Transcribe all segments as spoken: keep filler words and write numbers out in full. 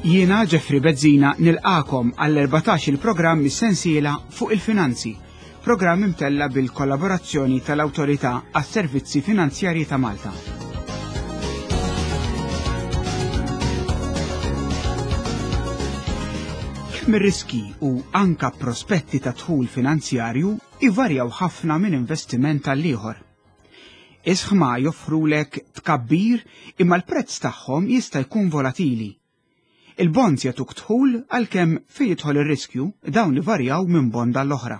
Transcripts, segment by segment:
Jiena Jeffrey Bezzina nilqagħkom għall-erbatax il-programm mis-sensiela fuq il-finanzi, programm imtella bil-kollaborazzjoni tal-Awtorità għas-Servizzi Finanzjarji ta' Malta. Kemm ir-riski u anka prospetti ta' dħul finanzjarju ivarjaw ħafna minn investiment għal ieħor. Ishma joffrulek tkabbir imma l-prezz tagħhom jista' jkun volatili. Il-bonds jagħtuk dħul għalkemm fejn jidħol ir-riskju dawn ivarjaw minn bond għall-oħra.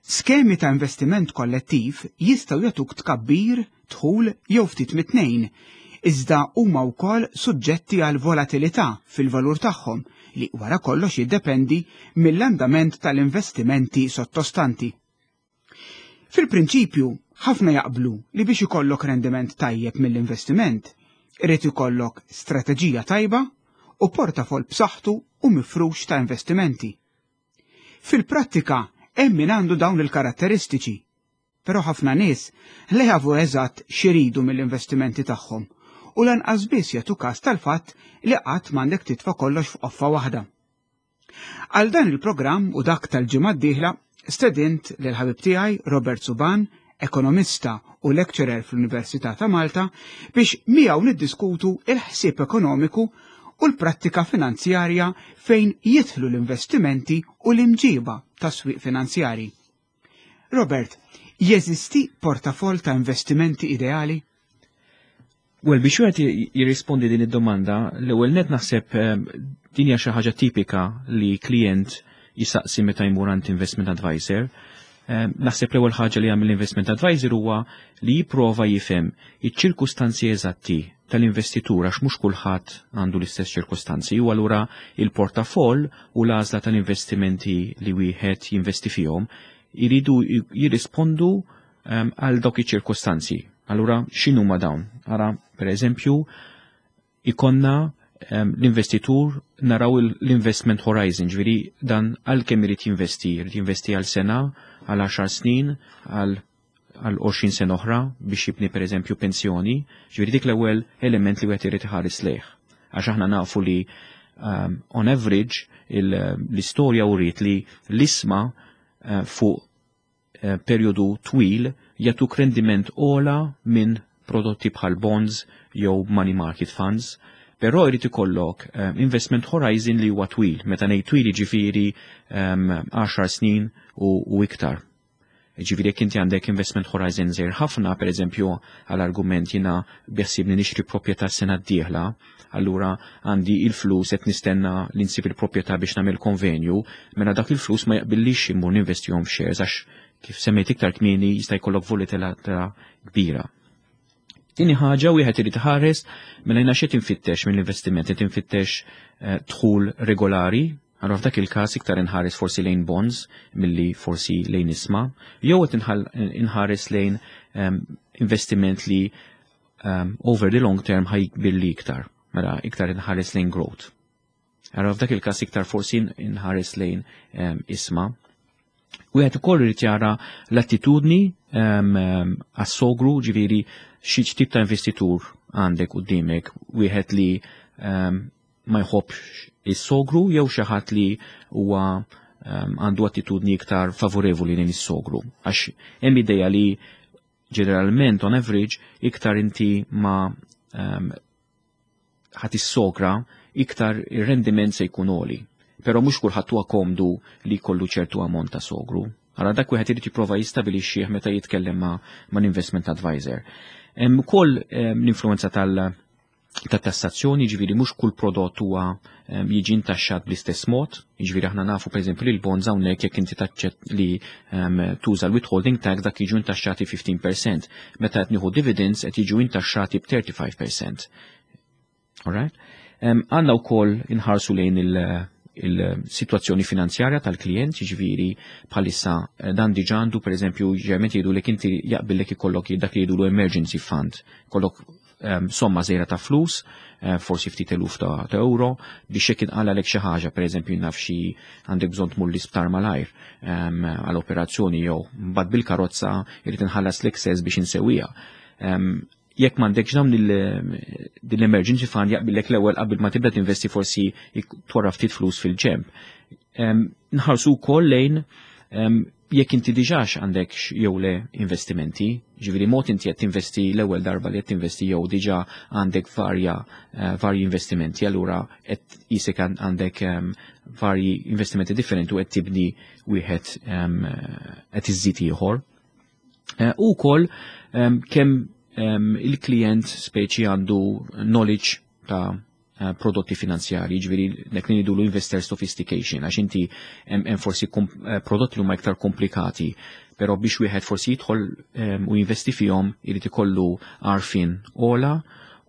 Skemi ta' investiment kollettiv jistgħu jagħtuk tkabbir, dħul jew ftit mit-tnejn, iżda huma wkoll suġġetti għal volatilità fil-valur tagħhom li wara kollox jiddependi mill-andament tal-investimenti sottostanti. Fil-prinċipju, ħafna jaqblu li biex ikollok rendiment tajjeb mill-investiment, irid ikollok strateġija tajba u portafol b'saħħtu u mifrux ta' investimenti. Fil-prattika, hemm min għandu dawn il-karatteristiċi, però ħafna nies li jafu eżatt x'iridu mill-investimenti tagħhom u lanqas biss jagħtu każ tal-fatt li qatt m'għandek titfa' kollox f'qoffa waħda. Għal dan il-programm u dak tal-ġimgħa d-dieħla stedint lil ħabib tiegħi Robert Suban, ekonomista u lecturer fl-Università ta' Malta, biex miegħu niddiskutu il-ħsieb ekonomiku u l-prattika finanzjarja fejn jidħlu l-investimenti u l-imġiba ta' swieq finanzjari. Robert, jeżisti portafol ta' investimenti ideali? Well, biex wieħed jirrispondi din id-domanda, l-ewwel net naħseb eh, din hija xi ħaġa tipika li klient jisaqsi meta jmur għand investment advisor. Eh, naħseb l-ewwel ħaġa li jagħmel l-investment advisor huwa li jipprova jifhem iċ-ċirkustanzi eżatti tal-investitur għax mhux kulħadd għandu l-istess ċirkustanzi u allura il-portafoll u l-għażla tal-investimenti li wieħed jinvesti fihom iridu jirrispondu ehm, għal dawk iċ-ċirkustanzi. Allura x'inhuma dawn? Ara, per eżempju, ikonna ehm, l-investitur naraw l-investment horizon, ġifieri dan għal kemm irid jinvesti, irid jinvesti għal sena, għal għaxar snin, għal għal għoxrin sena oħra biex jibni per eżempju pensjoni, ġifieri dik l-ewwel element li wieħed irid iħares lejh. Għax aħna nafu li um, on average l-istorja uriet li l-ishma uh, fuq uh, perjodu twil jagħtuk rendiment ogħla minn prodotti bħal bonds jew money market funds, però jrid ikollok um, investment horizon li huwa twil, meta ngħid twil jiġifieri um, għaxar snin u, u iktar. Ġifieri jekk inti għandek investment horizon żgħir ħafna, per eżempju, għall-argument jiena beħsiebni nixtri proprjetà sena d-dieħla, allura għandi il-flus qed nistenna li nsib il-proprjetà biex nagħmel konvenju, mela dak il-flus ma jaqbillix immur ninvestihom f'shares għax kif semmejt iktar kmieni jista' jkollok volatilità kbira. Tieni ħaġa wieħed irid iħares mela jiena x'qed infittex mill-investiment, qed infittex, eh, dħul regolari. Allora f'dak il-każ iktar inħares forsi lejn bonds milli forsi lejn ishma, jew qed inħares lejn, ehm, investiment li, ehm, over the long term ħajkbirli iktar, mela iktar inħares lejn growth. Allora f'dak il-każ iktar forsi inħares lejn, ehm, ishma. Wieħed ukoll irid jara l-attitudni, ehm, ehm, għas-sogru, ġifieri xi tip ta' investitur għandek quddiemek, wieħed li, ehm, ma jħobbx is-sogru jew xi ħadd li huwa, ehm, għandu attitudni iktar favorevoli lejn is-sogru. Għax hemm idea li ġeneralment on average iktar inti ma, ehm, ħadd is-sogra iktar ir-rendiment se jkun għoli. Però mhux kulħadd huwa komdu li jkollu ċertu ammont ta' sogru. Allora dak wieħed irid jipprova jistabilixxih meta jitkellem ma', ma' investment advisor. Hemm ukoll, ehm, l-influenza tal- ta' tassazzjoni, ġifieri mhux kull prodott huwa, ehm, jiġi intaxxat bl-istess mod, ġifieri aħna nafu pereżempju li l-bonds hawnhekk jekk inti taċċett li, ehm, tuża l-withholding tax dak jiġu intaxxati fifteen percent, meta qed nieħu dividends qed jiġu intaxxati b'thirty-five percent. All right? Ehm, għandna wkoll inħarsu lejn il-, il-sitwazzjoni finanzjarja tal-klient, jiġifieri bħalissa, eh, dan diġà għandu pereżempju ġeneralment jgħidu li inti jaqbillek ikollok dak li jgħidulu emergency fund, kollok, ehm, somma żgħira ta' flus, eh, forsi ftit eluf ta', ta' euro, biex jekk inqalalek xi ħaġa, pereżempju naf xi għandek bżonn tmur l-isptar malajr, ehm, għal operazzjoni jew mbagħad bil-karozza jrid inħallas l-excess biex insewwiha. Ehm, Jekk m'għandekx dawn din l-emergency fund, jaqbillek l-ewwel qabel ma tibda tinvesti forsi twarrab ftit flus fil-ġenb. Nħarsu wkoll lejn jekk inti diġax għandek jew le investimenti, ġifieri mod inti qed tinvesti l-ewwel darba li qed tinvesti jew diġà għandek varja eh, varji investimenti, allura qed jisek għandek varji investimenti differenti u qed tibni wieħed, qed iżżid ieħor. Eh, u wkoll kemm il-klient speċi għandu knowledge ta' eh, prodotti finanzjari, ġifieri nek li ngħidulu investor sophistication, għax inti hemm forsi eh, prodotti li huma iktar komplikati, però biex wieħed forsi jidħol u jinvesti fihom irid ikollu għarfien ogħla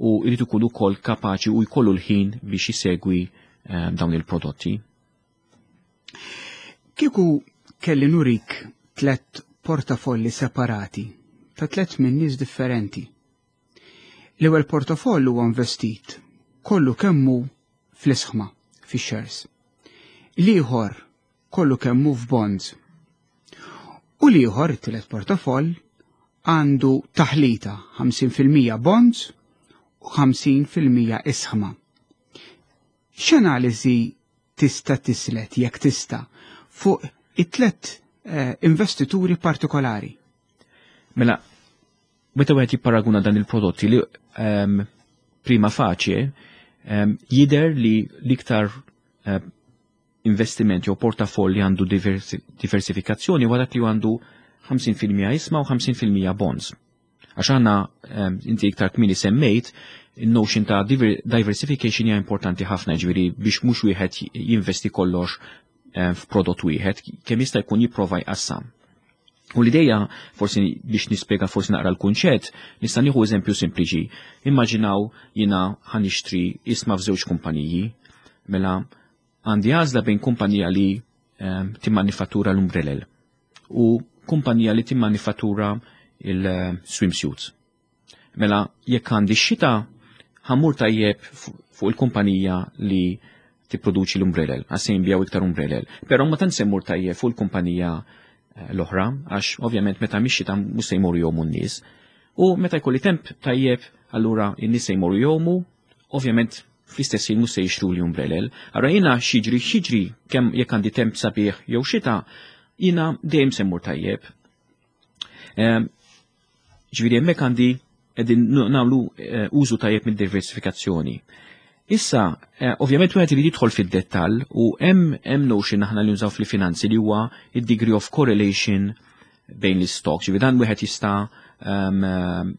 u irid ikun ukoll kapaċi u jkollu l-ħin biex jisegwi dawn il-prodotti. Kieku kelli nurik tlet portafolli separati ta' tlet minn nies differenti. L-ewwel portafoll huwa investit kollu kemmu fl-isħma, fi-shares. L-ieħor kollu kemmu f'bonds. U l-ieħor, it-tielet portafoll, għandu taħlita ħamsin fil-mija bonds u ħamsin fil-mija isħma. X'analiżi tista' tislet, jekk tista', fuq it-tlet eh, investituri partikolari? Mela, meta wieħed jipparaguna dan il-prodotti li um, prima facie um, jider li l-iktar uh, investiment jew portafoll li għandu diversi, diversifikazzjoni huwa dak li għandu ħamsin fil-mija isma u ħamsin fil-mija bonds. Għax għandna um, inti iktar kmieni semmejt il-notion ta' diversification hija importanti ħafna, ġifieri biex mhux wieħed jinvesti kollox um, f'prodott wieħed, kemm jista' jkun jipprova jqassam. U l-ideja, forsi biex nispjega forsi naqra l-kunċett, nista' nieħu eżempju sempliċi. Immaġinaw jiena ħa nixtri isma f'żewġ kumpaniji, mela għandi għażla bejn kumpanija li um, timmanifattura l-umbrellel u kumpanija li timmanifattura il-swimsuits. Mela, jekk għandi xita, ħa mmur tajjeb fuq il-kumpanija li tipproduċi l-umbrellel, għax se jinbiegħu iktar umbrellel. Però ma tant se mmur tajjeb fuq il-kumpanija eh, l-oħra, għax ovvjament meta mhix xita mhux se jmorru jgħumu n-nies. U meta jkolli temp tajjeb, allura n-nies se jmorru jgħumu, ovvjament fl-istess ħin mhux se jixtru li umbrellel. Allura jiena x'jiġri x'jiġri, kemm jekk għandi temp sabiħ jew xita, jiena dejjem se mmur tajjeb. Ehm, ġifieri hemmhekk għandi qegħdin nagħmlu eh, użu tajjeb mid-diversifikazzjoni. Issa, eh, ovvjament wieħed irid jidħol fid-dettall u hemm hemm notion aħna li nużaw fil-finanzi li huwa id-degree of correlation bejn l-stocks. Ġifieri dan wieħed jista' um,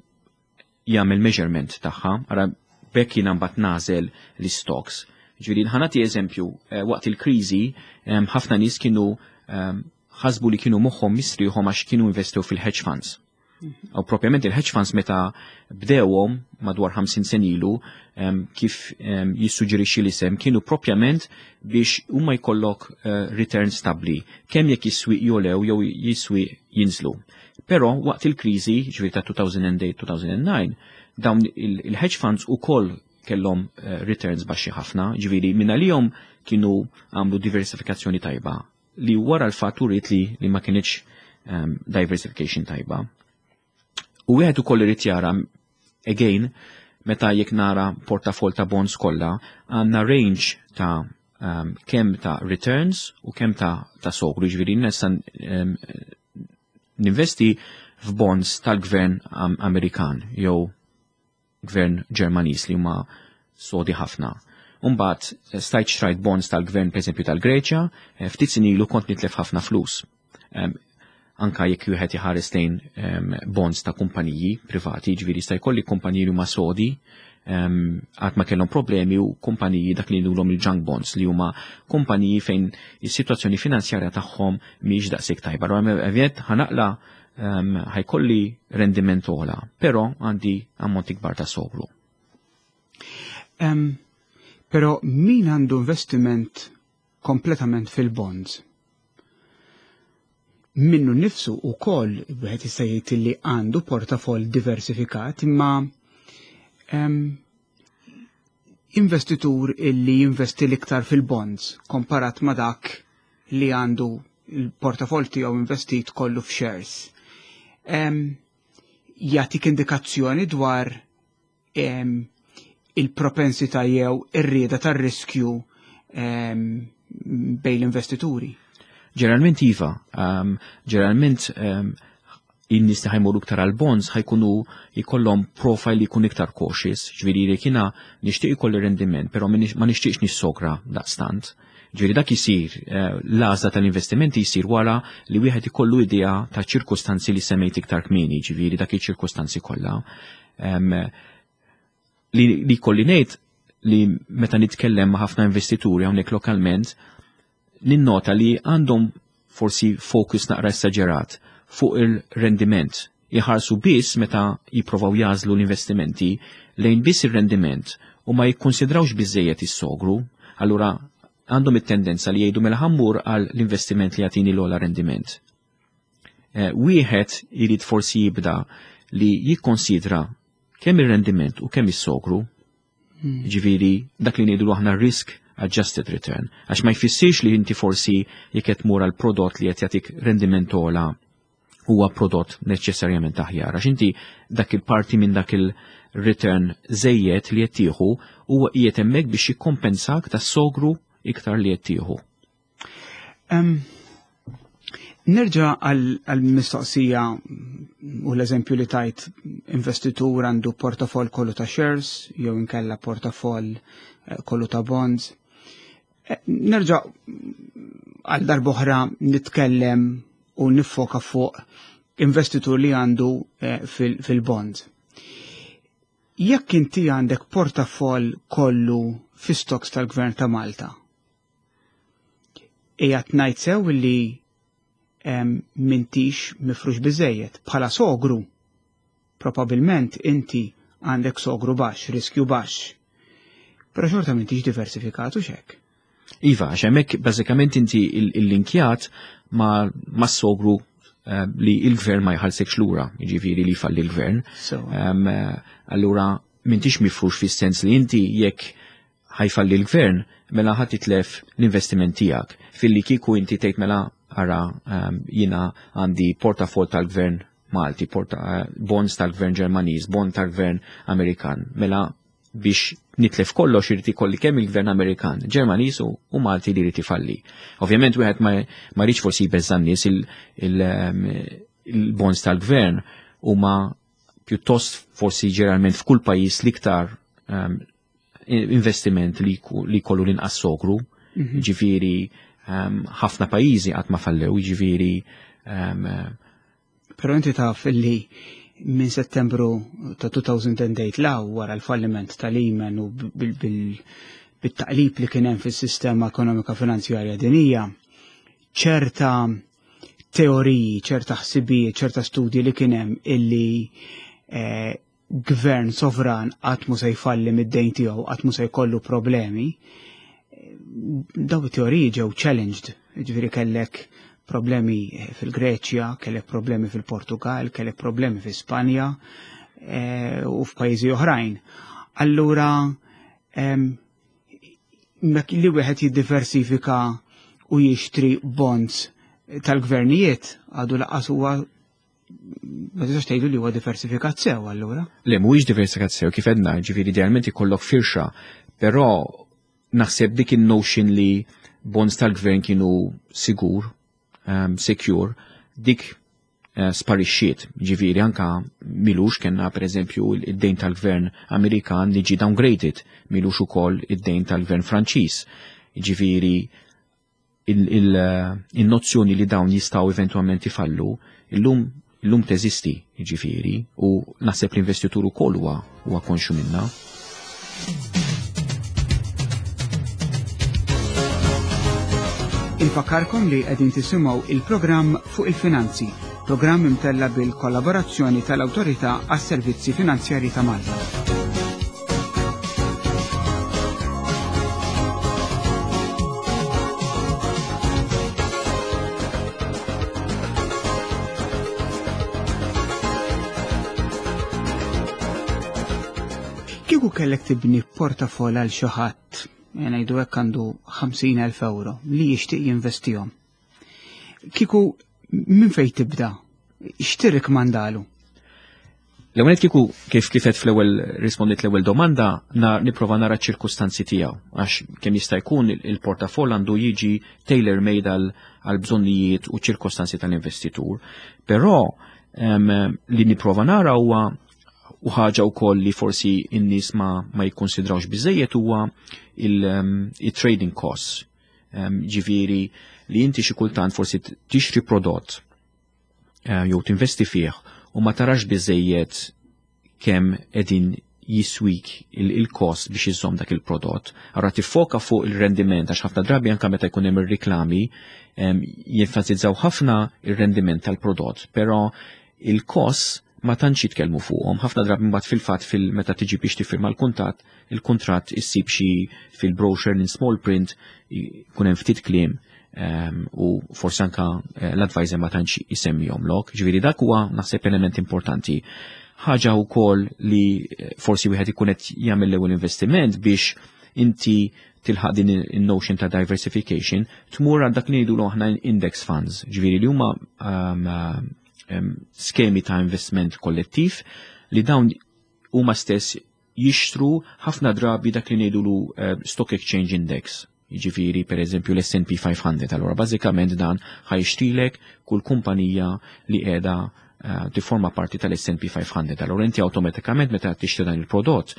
jagħmel measurement tagħha, ara bekk jiena mbagħad nagħżel l-stocks. Ġifieri ħa nagħti eżempju, eh, waqt il-kriżi ħafna nies kienu ħasbu li kienu moħħhom mistrieħhom għax kienu investew fil-hedge funds. U propjament il-hedge funds meta bdewhom madwar ħamsin sena ilu, kif jissuġġerixxi l-isem, kienu propjament biex huma jkollok eh, return stabli, kemm jekk is-swieq jogħlew jew is-swieq jinżlu. Però waqt il-kriżi, ġifieri ta' elfejn u tmienja-elfejn u disgħa, dawn il-hedge funds ukoll kellhom eh, returns baxxi ħafna, ġifieri minn għalihom kienu għamlu diversifikazzjoni tajba li wara l-fatt uriet li, li ma kienx um, diversification tajba. U wieħed ukoll irid jara again meta jekk nara portafol ta' bonds kollha, għandna range ta' um, kemm ta' returns u kemm ta' ta' sogru, ġifieri nista' um, ninvesti f'bonds tal-gvern Amerikan jew gvern Ġermaniż li huma sodi ħafna. Umbagħad stajt xtrajt bonds tal-gvern, per tal-Greċja, eh, ftit snin ilu kont nitlef ħafna flus. Um, anka jekk wieħed iħares lejn um, bonds ta' kumpaniji privati, ġifieri sta jkolli kumpaniji li huma sodi, għad ma kellhom problemi, u kumpaniji dak li ngħidulhom il-junk bonds, li huma kumpaniji fejn is-sitwazzjoni finanzjarja tagħhom mhijiex daqshekk tajba. Ovvjament ħa naqla' ħa jkolli rendiment ogħla, però għandi ammonti kbar ta' sogru. Um, però min għandu investiment kompletament fil-bonds? Minnu nifsu u koll wieħed jista' jgħid li għandu portafoll diversifikat, imma um, investitur illi jinvesti l-iktar fil-bonds komparat ma dak li għandu il-portafoll tiegħu investit kollu f'shares. Um, Jagħtik indikazzjoni dwar il-propensità jew ir-rieda tar-riskju bejn l-investituri. Ġeneralment iva, ġeneralment in-nies li ħa jmorru iktar għal bonds ħa jkunu jkollhom profile li jkun iktar cautious, ġifieri li jiena nixtieq ikolli rendiment, però ma nixtieqx nissogra daqstant. Ġifieri dak isir, eh, l-għażla tal-investimenti jsir wara li wieħed ikollu idea ta' ċirkustanzi li semmejt iktar kmieni, ġifieri dak iċ-ċirkustanzi kollha. Li, li kolli ngħid li meta nitkellem ma' ħafna investituri hawnhekk lokalment, ninnota li għandhom forsi focus naqra esaġerat fuq il-rendiment. Jħarsu biss meta jipprovaw jagħżlu l-investimenti lejn biss il-rendiment u ma jikkonsidrawx biżejjed is-sogru, allura għandhom it-tendenza li jgħidu mela ħa mmur għal l-investiment li jagħtini l-ogħla rendiment. Eh, wieħed irid forsi jibda li jikkonsidra kemm ir-rendiment u kemm is-sogru, hmm. ġifieri dak li ngħidu aħna risk adjusted return, għax ma jfissirx li inti forsi jekk qed tmur għal prodott li qed jagħtik rendiment ogħla huwa prodott neċessarjament aħjar, għax inti dak il-parti minn dak il-return żejjed li qed tieħu huwa qiegħed hemmhekk biex jikkompensak tas-sogru iktar li qed tieħu. Nerġa' għal-mistoqsija u l-eżempju li tajt investitur għandu portafoll kollu ta' shares jew inkella portafoll eh, kollu ta' bonds. Eh, nerġa' għal darb'oħra nitkellem u niffoka fuq investitur li għandu eh, fil-bonds. Jekk inti għandek portafoll kollu fi stocks tal-Gvern ta' Malta, qiegħed ngħid sew li m'intix mifrux biżejjed bħala sogru. Probabilment inti għandek sogru baxx, riskju baxx. Però xorta m'intix diversifikat u xek. Iva, għax hemmhekk bażikament inti il-linkjat ma, ma sogru eh, li il-gvern ma jħallsekx lura, jiġifieri li falli l-gvern. Um, allura m'intix mifrux fis-sens li inti jekk ħa jfalli l-gvern, mela ħa titlef l-investiment tiegħek. Filli kieku inti tgħid mela ara um, jiena għandi portafol tal-gvern Malti, porta, uh, bonds tal-gvern Ġermaniż, bond tal-gvern Amerikan. Mela biex nitlef kollox irid ikolli kemm il-gvern Amerikan, Ġermaniż u, u Malti li jrid ifalli. Ovvjament wieħed ma, ma rridx forsi jbeżża' nies il-bonds il, tal-gvern huma pjuttost forsi ġeneralment f'kull pajjiż l-iktar um, investiment li, li kollu l-inqas sogru, mm -hmm. ġifieri um, ħafna pajjiżi qatt ma fallew, ġifieri um, Però inti taf illi minn Settembru ta' elfejn u tmienja 'l hawn, wara l-falliment ta' Lehman u bit-taqlib li kien hemm fis-sistema ekonomika finanzjarja dinija, ċerta teoriji, ċerta ħsibijiet, ċerta studji li kien hemm illi eh, gvern sovran qatt mu se jfalli mid-dejn tiegħu, qatt mu se jkollu problemi, daw it-teoriji ġew challenged, ġifieri kellek problemi fil-Greċja, kellek problemi fil-Portugal, kellek problemi fil Spanja e, u f'pajjiżi oħrajn. Allura li wieħed jiddiversifika u jixtri bonds tal-gvernijiet għadu lanqas huwa, ma tistax tgħidu li huwa diversifikat sew allura. Le, mhuwiex diversifikat sew, kif għedna, ġifieri idealment ikollok firxa, però naħseb dik il-notion li bonds tal-gvern kienu sigur, um, secure, dik uh, sparixxiet. Ġifieri anka m'ilux kellna per eżempju id-dejn tal-gvern Amerikan li ġi downgraded, m'ilux ukoll id-dejn tal-gvern Franċiż. Ġifieri il-nozzjoni li dawn jistgħu eventualment ifallu, illum illum teżisti, ġifieri, u naħseb l-investitur ukoll huwa huwa konxu minna. Infakkarkom li qegħdin tisimgħu il-programm Fuq il-Finanzi, programm imtella bil-kollaborazzjoni tal-Awtorità għas-Servizzi Finanzjarji ta' Malta. Kieku kellek tibni portafol għal xi ħadd, ngħidu hekk, għandu ħamsin elf euro li jixtieq jinvestihom. Kieku minn fejn tibda? X'tirrikmandalu? L-ewwel kieku kif kifet fl-ewwel rispondit l-ewwel domanda, na nipprova nara ċ-ċirkustanzi tiegħu, għax kemm jista' jkun il-portafoll għandu jiġi tailor made għal bżonnijiet u ċirkostanzi tal-investitur. Però um, li nipprova nara huwa, u ħaġa wkoll li forsi n-nies ma, ma jikkonsidrawx biżejjed, huwa il-trading costs. Um, ġifieri li inti xi kultant forsi tixtri prodott uh, jew tinvesti fih u ma tarax biżejjed kemm qegħdin jiswik il-kost biex iżomm dak il-prodott. Allora tiffoka fuq il-rendiment, għax ħafna drabi anka meta jkun hemm ir-riklami jenfasizzaw ħafna il-rendiment tal-prodott, però il-kost ma tantx jitkellmu fuqhom. Ħafna drabi mbagħad fil-fatt fil-meta tiġi biex tiffirma l-kuntatt, il-kuntratt issib xi fil-brochure in small print jkun hemm ftit kliem u forsi anka eh, l-advisor ma tantx isemmihomlok. Ġifieri dak huwa, naħseb, element importanti. Ħaġa wkoll li eh, forsi wieħed ikun qed jagħmel l-ewwel investiment biex inti tilħaq din il-notion ta' diversification, tmur għal dak li ngħidu aħna index funds, ġifieri li huma um, um, skemi ta' investiment kollettiv li dawn huma stess jixtru ħafna drabi dak li ngħidulu uh, Stock Exchange Index. Jiġifieri, per eżempju, l-S and P five hundred. Allora bażikament dan ħa jixtrilek kull kumpanija li qiegħda uh, tiforma parti tal-S and P five hundred. Allora inti awtomatikament meta tixtri dan il-prodott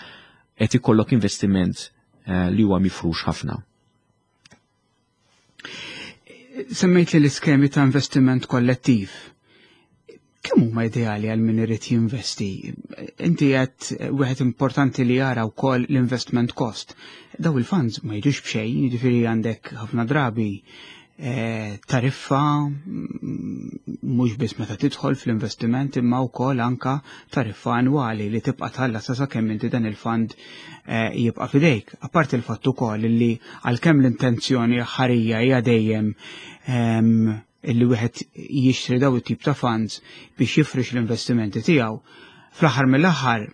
qed ikollok investiment uh, li huwa mifrux ħafna. Semmejt li l-iskemi ta' investiment kollettiv. Kemm huma ideali għal min irid jinvesti? Inti qed wieħed importanti li jara wkoll l-investment cost. Daw il-funds ma jiġux b'xejn, jiġifieri għandek ħafna drabi eh, tariffa mm, mhux biss meta tidħol fl-investiment imma wkoll anka tariffa annwali li tibqa' tħallas sa sakemm inti dan il-fund eh, jibqa' fidejk. Apparti il-fatt ukoll li għalkemm l-intenzjoni ħarija hija dejjem ehm, illi wieħed jixtri daw it-tip ta' funds biex jifrix l-investimenti tiegħu. Fl-aħħar mill-aħħar,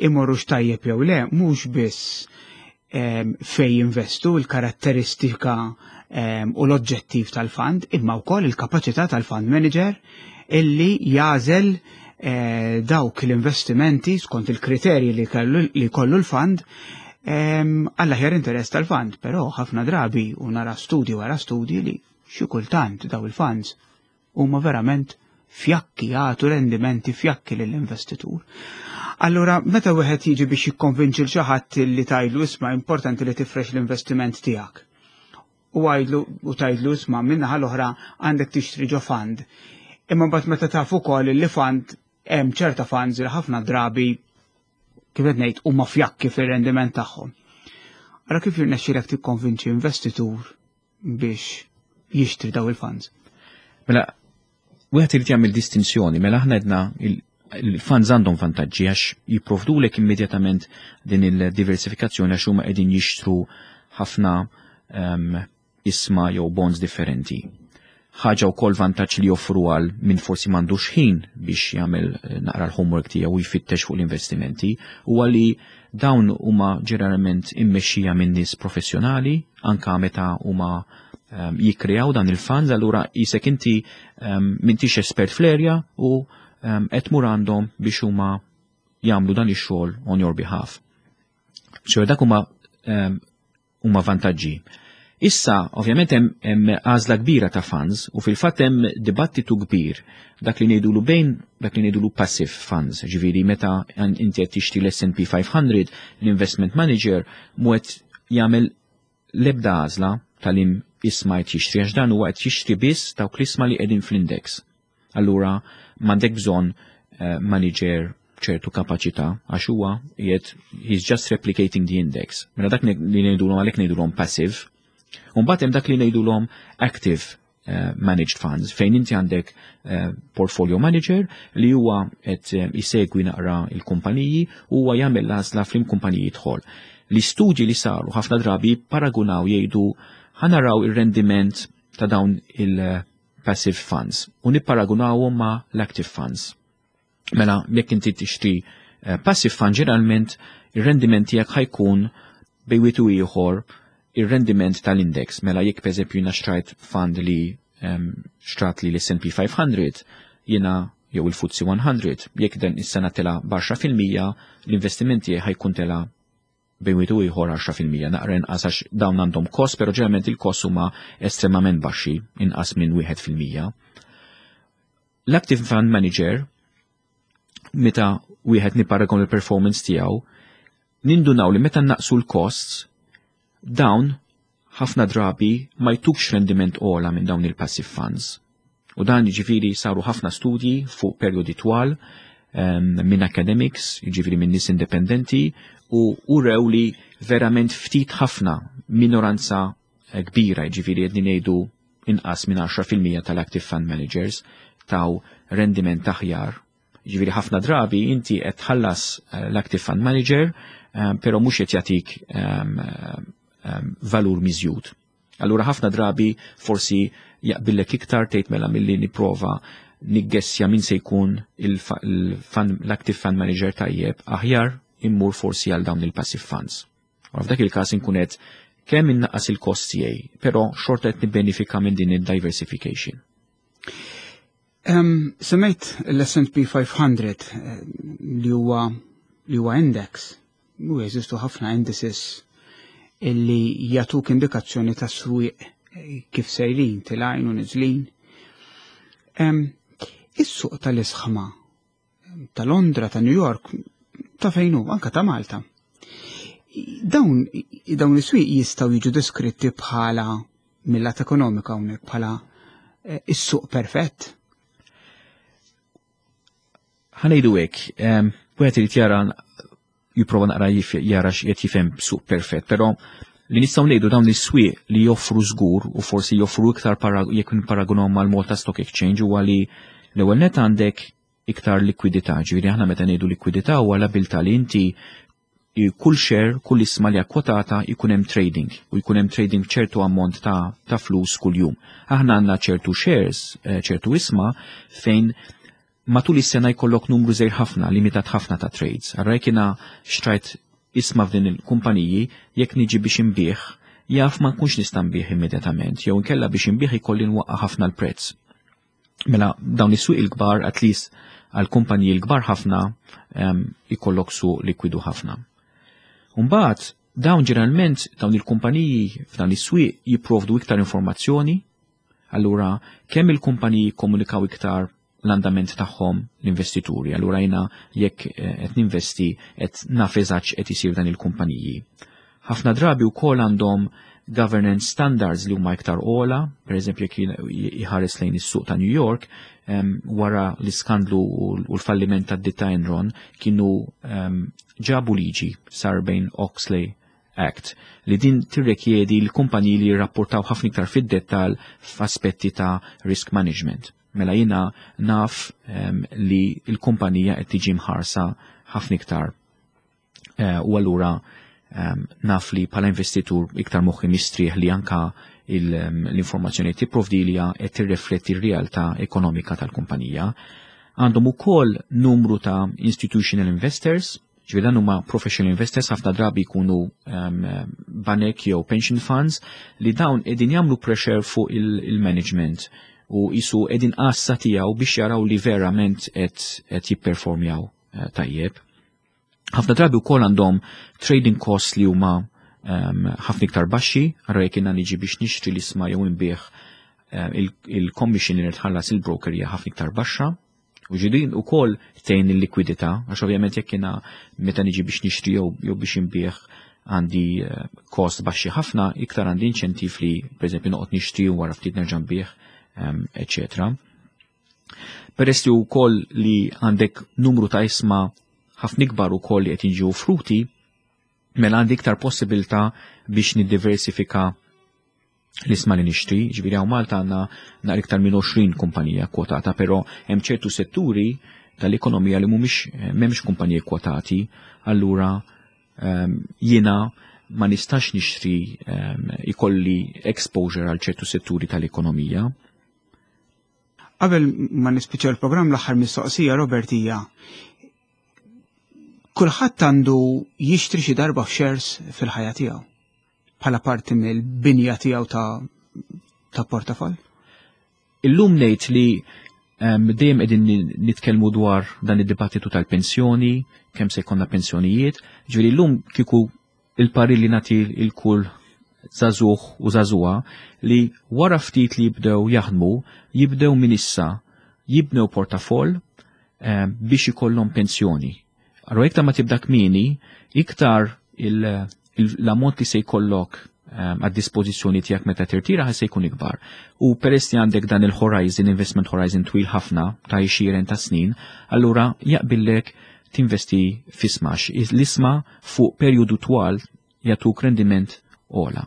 imorrux tajjeb jew le, mhux biss fej jinvestu, l-karatteristika u l-oġġettiv tal-fund, imma wkoll il-kapaċità tal-fund manager illi jagħżel eh, dawk l-investimenti skont il-kriterji li kellu l-fund għall-aħjar interess tal-fund, però ħafna drabi u nara studji wara studji li xi kultant daw il-funds huma verament fjakki, jagħtu rendimenti fjakki lill-investitur. Allura, meta wieħed jiġi biex jikkonvinċi l xi ħadd li tgħidlu, "Isma', importanti li tifrex l-investiment tiegħek." U għajdlu u tgħidlu, "Isma', minnaħa l-oħra għandek tixtri ġo fund." Imma mbagħad meta taf ukoll li fund hemm ċerta funds li ħafna drabi, kif qed ngħid, huma fjakki fir-rendiment tagħhom. Allora kif jirnexxilek tikkonvinċi investitur biex jixtri daw il-funds? Mela, wieħed irid jagħmel distinzjoni. Mela aħna għedna il-funds għandhom vantaġġi għax jipprovdulek immedjatament din il-diversifikazzjoni, għax huma qegħdin jixtru ħafna um, ishma jew bonds differenti. Ħaġa wkoll vantaġġ li joffru għal min forsi m'għandux ħin biex jagħmel eh, naqra l-homework tiegħu u jfittex fuq l-investimenti huwa li dawn huma ġeneralment immexxija minn nies professjonali anka meta huma um, jikkreaw dan il-funds. Allura jisek inti um, m'intix espert fl-area u um, qed tmur għandhom biex huma jagħmlu dan ix-xogħol on your behalf. So dak huma um, huma vantaġġi. Issa, ovvjament, hemm għażla kbira ta' funds u fil-fatt hemm dibattitu kbir dak li ngħidulu bejn dak li ngħidulu passive funds, ġifieri meta inti qed tixtri l-S and P five hundred, l-investment manager mhu qed jagħmel l-ebda għażla tal-im ishma qed jixtri, għax dan huwa qed jixtri biss dawk l-ishma li qegħdin fl-index. Allura m'għandek bżonn uh, manager ċertu kapaċità għax huwa qiegħed, he's just replicating the index. Mela dak li ngħidulhom, għalhekk ngħidulhom passive. U mbagħad hemm dak li ngħidulhom active uh, managed funds, fejn inti għandek uh, portfolio manager li huwa qed isegwi naqra il-kumpaniji u huwa jagħmel l-għażla f'liem kumpaniji jidħol. L-istudji li saru ħafna drabi paragunaw, jgħidu, "Ħa naraw ir-rendiment ta' dawn il-passive funds u nipparagunawhom ma' l-active funds." Mela, jekk inti tixtri uh, passive fund, ġeneralment ir-rendiment tiegħek ħa jkun bejn wieħed u ieħor ir-rendiment tal-index. Mela jekk, pereżempju, jiena xtrajt fund li um, xtrat li l-S and P five hundred, jiena jew il-F T S E one hundred, jekk dan is-sena tela b'għaxra fil-mija, l-investimenti ħa jkun tela bejn wieħed u ieħor għaxra fil-mija, naqra inqas għax dawn għandhom cost, però ġeneralment il-cost huma estremament baxxi, inqas minn wieħed fil-mija. L-active fund manager, meta wieħed niparagon il-performance tiegħu, nindunaw li meta naqsu l-costs, dawn ħafna drabi ma jtukx rendiment ogħla minn dawn il-passive funds. U dan jiġifieri saru ħafna studji fuq perjodi twal um, minn academics, jiġifieri minn nies indipendenti, u urew li verament ftit ħafna, minoranza eh, kbira, jiġifieri qed ngħidu inqas minn għaxra fil-mija tal-active fund managers taw rendiment aħjar. Ġifieri ħafna drabi inti qed tħallas eh, l-active fund manager, eh, però mhux qed jagħtik um, um, valur miżjud. Allura ħafna drabi forsi jaqbillek iktar tgħid mela milli nipprova niggessja min se jkun l-active fund manager tajjeb, aħjar immur forsi għal dawn il-passive funds. U f'dak il-każ inkun qed kemm innaqqas il-kost tiegħi, però xorta qed nibbenefika minn din il-diversification. Um, semmejt l-S and P five hundred eh, li huwa li huwa index. U jeżistu ħafna indices illi jagħtuk indikazzjoni ta' swieq eh, kif sejrin, telgħin u niżlin. Um, Is-suq tal-ishma ta' Londra, ta' New York, ta' fejn hu, anka ta' Malta. Dawn dawn is-swieq jistgħu jiġu deskritti bħala, mill-lat ekonomika hawnhekk, bħala eh, is-suq perfett. Ħa ngħidu hekk, wieħed irid jara, jipprova naqra jara x'qed jifhem suq perfett, però li nistgħu ngħidu, dawn is-swieq li joffru żgur u forsi joffru iktar jekk niparagunhom mal-Malta Stock Exchange huwa li l-ewwel net għandek iktar likwidità. Ġifieri aħna meta ngħidu likwidità huwa l-abilità li inti kull share, kull isma li kwotata jkun hemm trading u jkun hemm trading ċertu ammont ta', ta flus kuljum. Aħna għandna ċertu shares, eh, ċertu ishma fejn matul is-sena jkollok numru żgħir ħafna, limitat ħafna ta' trades. Allura jekk jiena xtrajt ishma f'din il-kumpaniji, jekk niġi biex inbigħ, jaf ma nkunx nista' nbigħ immedjatament, jew inkella biex inbigħ ikolli nwaqqa ħafna l-prezz. Mela dawn is-suq il-kbar, at least għal kumpaniji l-kbar ħafna, um, ikollok suq likwidu ħafna. Umbagħad dawn ġeneralment dawn il-kumpaniji f'dawn is-swieq jipprovdu iktar informazzjoni, allura kemm il-kumpaniji komunikaw iktar l-andament tagħhom l-investituri. Allura jiena jekk eh, qed ninvesti qed naf eżatt qed isir dan il-kumpaniji. Ħafna drabi wkoll għandhom governance standards li huma iktar ogħla, per eżempju jekk iħares lejn is-suq ta' New York, um, wara l-iskandlu u l-falliment ta' ditta Enron kienu um, ġabu liġi Sarbanes-Oxley Act li din tirrekjedi l-kumpaniji li jirrapportaw ħafna iktar fid-dettal f'aspetti ta' risk management. Mela jiena naf um, li l-kumpanija qed tiġi mħarsa ħafna iktar uh, u allura um, naf li bħala investitur iktar moħħi mistrieħ li anka l-informazzjoni tipprovdi li qed tirrifletti r-realtà ekonomika tal-kumpanija. Għandhom ukoll numru ta' institutional investors, ġifieri dan huma professional investors, ħafna drabi jkunu um, banek jew pension funds li dawn qegħdin jagħmlu pressure fuq il-management u jisu qegħdin għassa tiegħu biex jaraw li verament qed jipperformjaw uh, tajjeb. Ħafna drabi wkoll għandhom trading costs li huma ħafna um, iktar baxxi. Allura jekk jiena niġi biex nixtri l-ishma jew inbigħ, uh, il-commission li nitħallas il-broker hija ħafna iktar baxxa. U ġidin u koll tgħin il-likwidità, għax ovvjament jekk jiena meta niġi biex nixtri jew biex inbigħ għandi eh, cost baxxi ħafna, iktar għandi inċentiv li pereżempju noqgħod nixtri u wara ftit nerġa' nbigħ, eċetera. Peress li wkoll li għandek numru ta' ishma ħafna ikbar ukoll li qed jiġu offruti, mela għandi iktar possibilità biex niddiversifika l-ishma li nixtri. Ġifieri hawn Malta għandna naqra iktar minn għoxrin kumpanija kwotata, però hemm ċertu setturi tal-ekonomija li mhumiex m'hemmx kumpaniji kwotati, allura um, jiena ma nistax nixtri, um, ikolli exposure għal ċertu setturi tal-ekonomija. Qabel ma nispiċċa l-programm, l-aħħar mistoqsija, Robert, hija: kulħadd għandu jixtri xi darba f'shares fil-ħajja tiegħu bħala parti mill-binja tiegħu ta' ta' portafol? Illum ngħid li Dejjem qegħdin nitkellmu dwar dan id-dibattitu tal-pensjoni, kemm se jkollna pensjonijiet. Ġifieri llum kieku il-parir li nagħti lil kull żagħżugħ u żagħżugħa li wara ftit li jibdew jaħdmu, jibdew minn issa jibnew portafoll biex ikollhom pensjoni. Allora iktar ma tibda kmieni, iktar l-ammont li se jkollok għad dispożizzjoni tiegħek meta tirtira ħa se jkun ikbar. U peress li għandek dan il-horizon, investment horizon twil ħafna ta' għexieren ta' snin, allura jaqbillek tinvesti f'ishma. L-ishma fuq perjodu twal jagħtuk rendiment ogħla.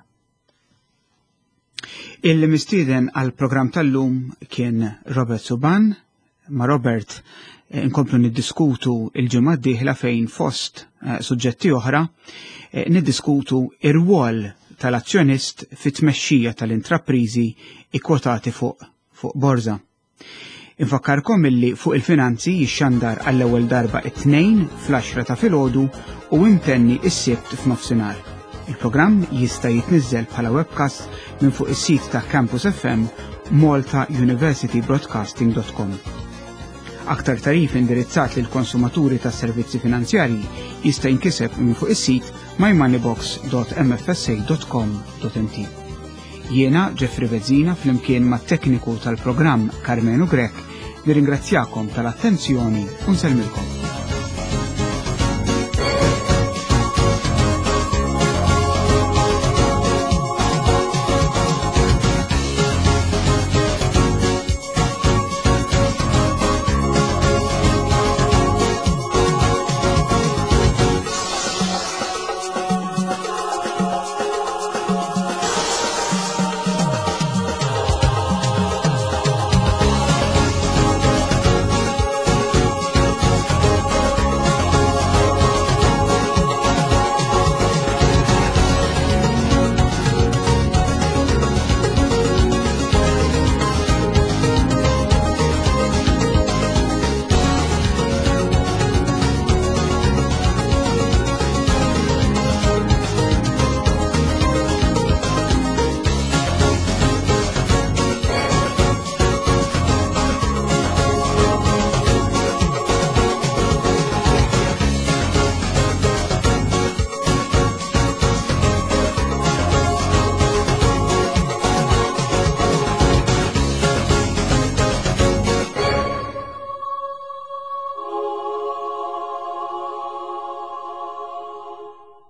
Il-mistieden għal programm tal-lum kien Robert Suban. Ma' Robert eh, nkomplu niddiskutu il-ġimgħa d-dieħla fejn fost eh, suġġetti oħra eh, niddiskutu ir-rwol tal-azzjonist fit-tmexxija tal-intraprizi ikkwotati fuq fuq borza. Infakkarkom illi fuq il-finanzi jixxandar għall-ewwel darba it-tnejn fl-għaxra ta' filgħodu u imtenni is-sibt f'nofsinhar. Il-programm jista' jitniżżel bħala webcast minn fuq is-sit ta' Campus F M malta university broadcasting dot com. Aktar tagħrif indirizzat lil konsumaturi ta' servizzi finanzjarji jista' jinkiseb minn fuq is-sit mymoneybox dot M F S A dot com dot M T. Jiena Jeffrey Bezzina flimkien mat-tekniku tal-programm Carmenu Grek nirringrazzjakom tal-attenzjoni u nsellmilkom.